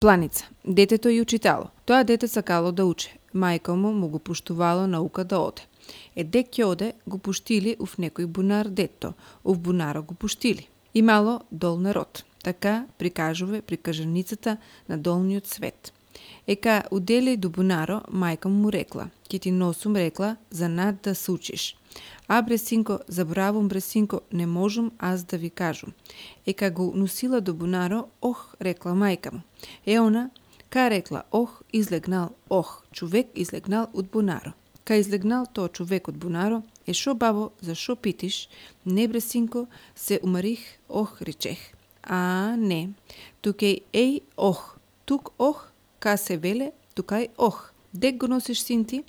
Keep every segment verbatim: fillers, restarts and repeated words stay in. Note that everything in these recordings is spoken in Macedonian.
Планица. Детето и учитало. Тоа дете сакало да уче. Мајка му му го пуштувало наука да оде. Е дек ќе оде, го пуштили ув некој бунар детто. Ув бунаро го пуштили. Имало дол народ. Така прикажуве прикажаницата на долниот свет. Ека удели до бунаро, мајка му рекла: "Ќе ти носум, рекла, за над да се учиш." "А, бре синко, заборавам, бре синко, не можам аз да ви кажам." Ека го носила до бунаро, ох, рекла мајка му. Е она, ка рекла ох, излегнал ох, човек излегнал од бунаро. Ка излегнал тоа човек од бунаро, е шо бабо, за шо питиш? Не, бре синко, се умарих, ох, речех. А, не, туке еј ох, тук ох, ка се веле, тука е ох. Дек го носиш син ти?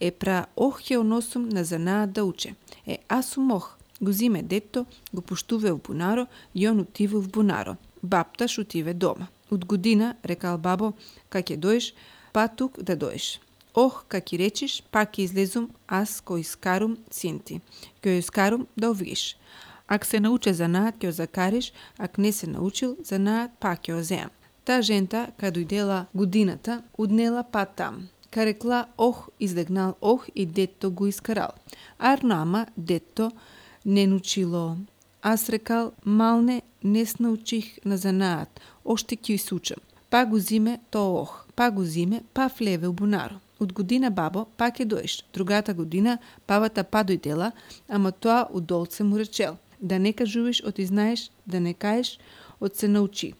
Е пра ох ќе носум на занаат да уче. Е аз сум ох. Го зиме детто, го пуштуве в бунаро и он отива в бунаро. Бапташ отиве дома. Од година, рекал бабо, ка ќе доеш, па тук да доеш. Ох, ка ќе речиш, па ќе излезум, аз кој искарум син ти. Кој искарум да овгиш. Ак се науче занаат, ќе закариш, ак не се научил занаат, па ќе озеам. Та жента, ка дојдела годината, уднела па там. Ка рекла ох, излегнал ох и детто го искарал. Ар нама детто не научило. Аз рекал, малне, не се научих на занаат, оште ќе се учам. Па го зиме то ох, па го зиме, па влеве у бунаро. Од година бабо, па ќе доеш. Другата година, бабата па дојдела, ама тоа удолце му речел: "Да не кажуваш оти знаеш, да не каеш од се научи.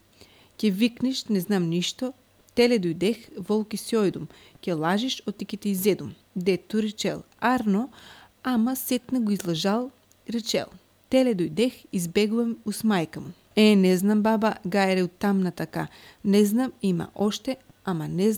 Ќе викнеш, не знам ништо, теле дојдех, волки си ојдум, ќе лажиш, оти ќе те изедум." Детто речел: "Арно, ама сетне го излажал", речел: "Теле дојдех, избегувам ус мајка му." Е, не знам баба, гајре од тамна така. Не знам, има оште, ама не знам